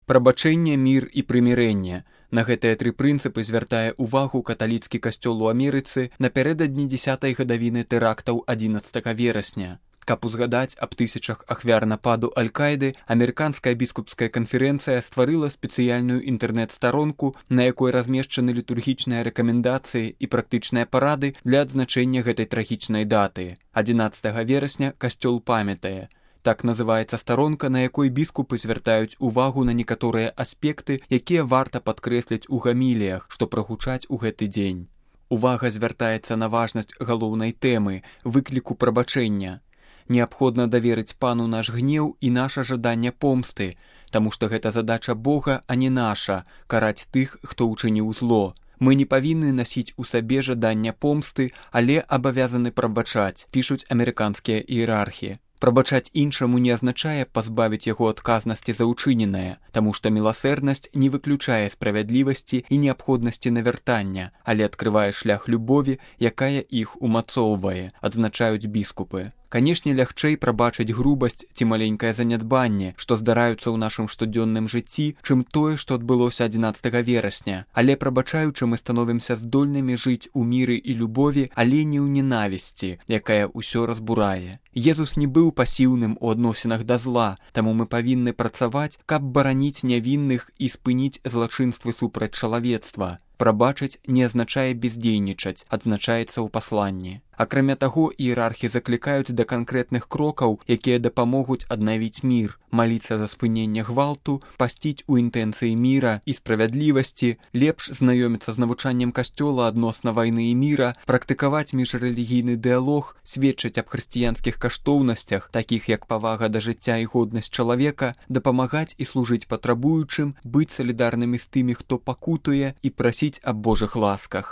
Прабачэнне, мір і прымірэнне. На гэтыя тры прынцыпы звяртае ўвагу каталіцкі касцёл у Амерыцы напярэдадні 10-й гадавіны тэрактаў 11 верасня. Каб узгадаць аб тысячах ахвяр нападу Аль-Каіды, Амерыканская біскупская канферэнцыя стварыла спецыяльную інтэрнэт-старонку, на якой размешчаны літургічныя рэкамендацыі і практычныя парады для адзначэння гэтай трагічнай даты. 11 верасня касцёл памятае. Так называецца старонка, на якой біскупы звяртаюць увагу на некаторыя аспекты, якія варта падкрэсліць у гаміліях, што прагучаць у гэты дзень. Увага звяртаецца на важнасць галоўнай тэмы – выкліку прабачэння. Неабходна даверыць пану наш гнеў і наша жаданне помсты, таму што гэта задача Бога, а не наша – караць тых, хто ўчыніў зло. Мы не павінны насіць у сабе жадання помсты, але абавязаны прабачаць, пішуць амерыканскія іерархі. Прабачаць іншаму не азначае пазбавіць яго адказнасці за ўчыненае, таму што міласэрнасць не выключае справядлівасці і неабходнасці навяртання, але адкрывае шлях любові, якая іх умацоўвае, адзначаюць біскупы. Канешне, лягчэй прабачыць грубасць ці маленькае занядбанне, што здараюцца ў нашым штодзённым жыцці, чым тое, што адбылося 11 верасня. Але прабачаючы, мы становімся здольнымі жыць у міры і любові, але не ў ненавісці, якая ўсё разбурае. Езус не быў пасіўным у адносінах да зла, таму мы павінны працаваць, каб бараніць нявінных і спыніць злачынствы супраць чалавецтва. Прабачыць не азначае бездзейнічаць, адзначаецца ў пасланні. Акрамя таго, іерархі заклікаюць да канкрэтных крокаў, якія дапамогуць аднавіць мір, маліцца за спыненне гвалту, пасціць у інтэнцыі міра і справядлівасці, лепш знаёміцца з навучаннем касцёла адносна вайны і міра, практыкаваць міжрэлігійны дыялог, сведчыць аб хрысціянскіх каштоўнасцях, такіх як павага да жыцця і годнасць чалавека, дапамагаць і служыць патрабуючым, быць салідарнымі з тымі, хто пакутуе, і прасіць аб Божых ласках.